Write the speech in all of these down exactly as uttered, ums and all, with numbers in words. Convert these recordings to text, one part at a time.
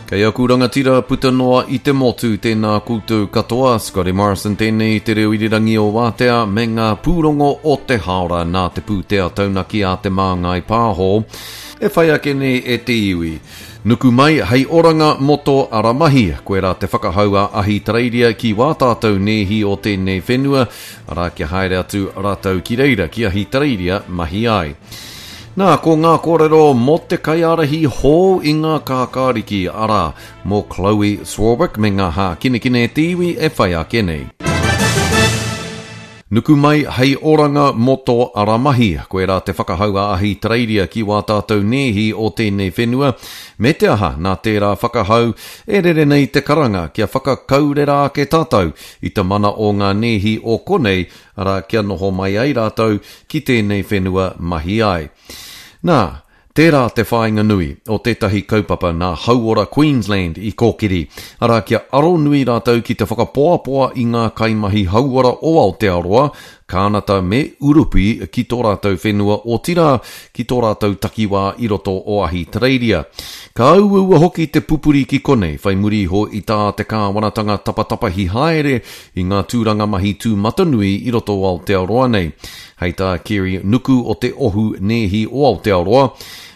Kei aku rangatira puta noa i te motu, tēnā koutou katoa. Scotty Morrison tēnei te reo irirangi o Wātea me ngā pūrongo o te haora nā te pūtea taunaki a Te Māngai Pāho e whai ake nei e te iwi. Nuku mai hei oranga mō tō ara mahi. Koirā te whakahau a Ahitereiria ki wā tātou nēhi o tēnei whenua, arā kia haere atu rātou ki reira, ki Ahitereiria mahi ai. Nā, ko ngā kōrero mō te kaiārahi hou i ngā kākāriki, arā, mō Chloe Swarbrick me ngā hākinakina e te iwi e whai ake nei. Nuku mai hei oranga mō tō ara mahi. Koirā te whakahau a Ahitereiria ki wā tātou nēhi o tēnei whenua. Me te aha, nā tērā whakahau e rere nei te karanga kia whakakaurera ake tātou i te mana o ngā nēhi o konei, arā kia noho mai ai rātou ki tēnei whenua mahi ai. Nā, tērā te whāinga nui o tētahi kaupapa nā Hauora Queensland i kōkiri, arā kia aro nui rātou ki te whakapoapoa i ngā kaimahi hauora o Aotearoa, Kānata me Urupi ki tō rātou whenua otirā ki tō rātou takiwā i roto o Ahitereiria. Ka uaua hoki te pupuri ki konei, whai muri iho i tā te kāwanatanga tapatapahi haere i ngā tūranga mahi tūmatanui i roto o Aotearoa nei. Hei tā Kerry Nuku o te Ohu Nēhi o Aotearoa,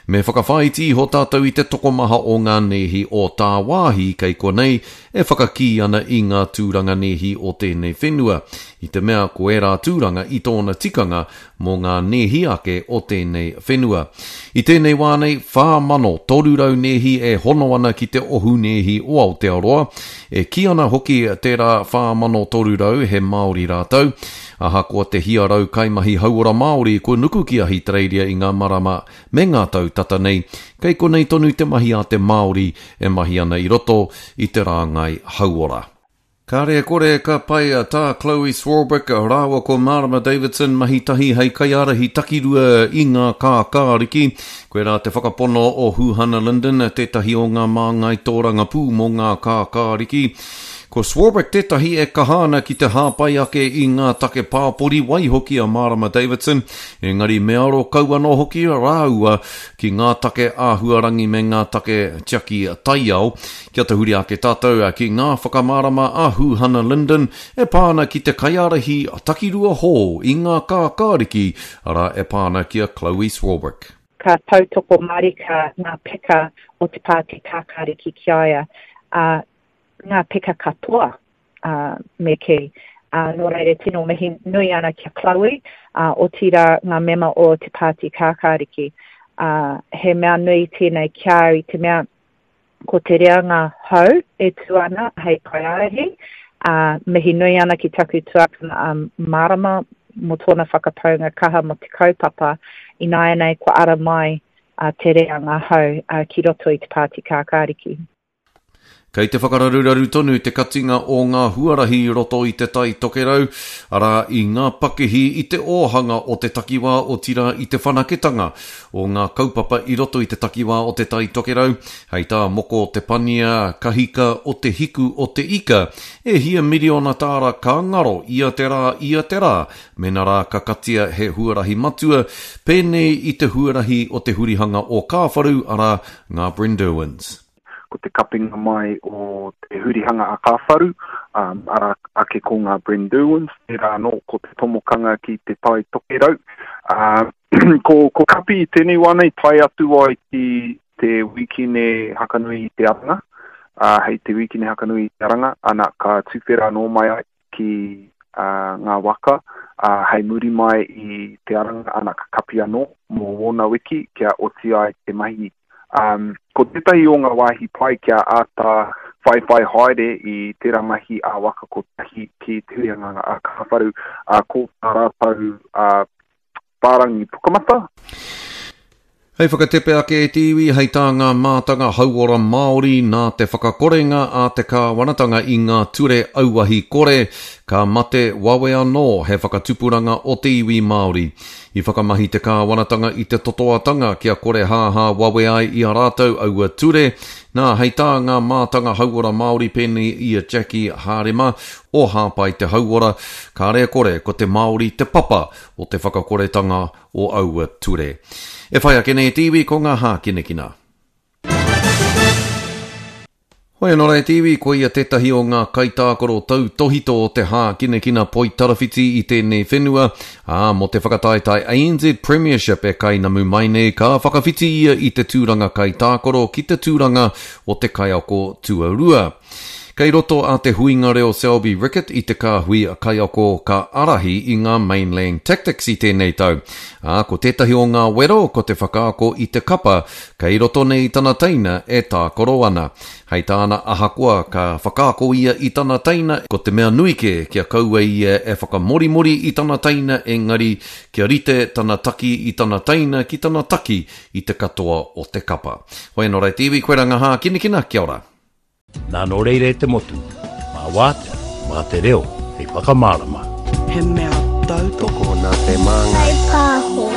me whakawhāiti iho tātou i te tokomaha o ngā nēhi o tāwāhi kei konei e whakakī ana i ngā tūranga nēhi o tēnei whenua, i te mea ko ērā tūranga i tōna tikanga mō ngā nēhi ake o tēnei whenua. I tēnei wā nei, whā mano toru rau nēhi e hono ana ki te Ohu Nēhi o Aotearoa, e kī ana hoki tērā whā mano toru rau he Māori rātou, ahakoa te hia rau kaimahi hauora Māori kua nuku ki Ahitereiria i ngā marama me ngā tau tata nei, kei konei tonu te mahi a te Māori e mahi ana i roto i te rāngai hauora. Kāre e kore ka pai tā Chloe Swarbrick rāua ko Marama Davidson mahi tahi hei kaiārahi takirua i ngā kākāriki. Koirā te whakapono o Huhana Lyndon, tētahi o ngā māngai tōrangapū mō ngā kākāriki. Ko Swarbrick tētahi e kaha ana ki te hāpai ake i ngā take pāpori waihoki a Marama Davidson, engari me aro kau anō hoki rāua ki ngā take āhuarangi me ngā take tiaki taiao. Kia tahuri ake tātou ki ngā whakamārama a Huhana Lyndon e pā ana ki te kaiārahi takirua hou i ngā kākāriki, arā e pā ana ki a Chloe Swarbrick. Ka tautoko mārika ngā peka o te pāti kākāriki ki a ia, ā, ngā peka katoa, ā, me kī. Ā, nō reira tino mihi nui ana ki a Chloe, ā, otirā ngā mema o te pāti kākāriki. Ā, he mea nui tēnei ki a au i te mea ko te reanga hou e tū ana hei kaiārahi, ā, mihi nui ana ki taku tuakana a Marama mō tōna whakapaunga kaha mō te kaupapa, ināianei kua ara mai te reanga hou ki roto i te pāti kākāriki. Kei te whakararuraru tonu te katinga o ngā huarahi i roto i Te Tai Tokerau, arā i ngā pakihi i te ōhanga o te takiwā otirā i te whanaketanga o ngā kaupapa i roto i te takiwā o Te Tai Tokerau, hei tā Moko Te Pania Kahika o Te Hiku o Te Ika, e hia miriona tāra ka ngaro ia te rā ia te rā mena rā ka katia he huarahi matua, pēnei i te huarahi o te hurihanga o Kāwharu, arā, ngā Brynderwyns. Ko te kapinga mai o te hurihanga a Kāwharu, um, arā ake ko ngā Brynderwyns, tērā anō ko te tomokanga ki te Tai Tokerau. Uh, ko, ko Kapi i tēnei wā nei tae atu ai ki te wikine Hakanui i te Aranga, uh, hei te wikine Hakanui i te Aranga, ana ka tuwhera anō mai ai ki uh, ngā waka, uh, hei muri mai i te Aranga, ana ka kapi anō mō wōna wiki kia oti ai te mahi. Um, ko tētahi o ngā wāhi pai kia āta whaiwhai haere i tērā mahi a waka kotahi ki te huianga a Kāwharu, uh, ko tā rātou uh, whārangi pukamata. Hei whakatepe ake e te iwi, hei tā ngā mātanga hauora Māori nā te whakakorenga a te kāwanatanga i ngā ture auahi kore, ka mate wawe anō he whakatupuranga o te iwi Māori. I whakamahi te kāwanatanga i te totoatanga kia kore hāhā wawe ai i a rātou aua ture. Nā, hei tā ngā mātanga hauora Māori pēnei i a Jackie Hārema o Hāpai te Hauora, kāre e kore ko te Māori te papa o te whakakoretanga o aua ture. E whai ake nei te iwi ko ngā hākinakina. Hoi anō rā e te iwi, ko ia tētahi o ngā kaitākaro tautōhito o te hākinakina poitarawhiti i tēnei whenua, ā, mō te whakataetae ANZ Premiership e kainamu mai nei, ka whakawhiti ia i te tūranga kaitākaro ki te tūranga o te kaiako tuarua. Kei roto a Te Huinga Reo Selby Rickit i te kāhui kaiako ka ārahi i ngā Mainland Tactics i tēnei tau. Ā, ko tētahi o ngā wero ko te whakaako i te kapa kei roto nei tana teina e tākaro ana. Hei tāna ahakoa ka whakaako ia i tana teina, ko te mea nui kē kia kaua ia e whakamorimori i tana teina engari kia rite tana taki i tana teina ki tana taki i te katoa o te kapa. Hoi anō rā e te iwi, koirā ngā hākinakina, kia ora. Nā nō reira e te motu, mā wātea, mā te reo hei whakamārama. He mea tautoko. Tokona te māngai. Whai pāho.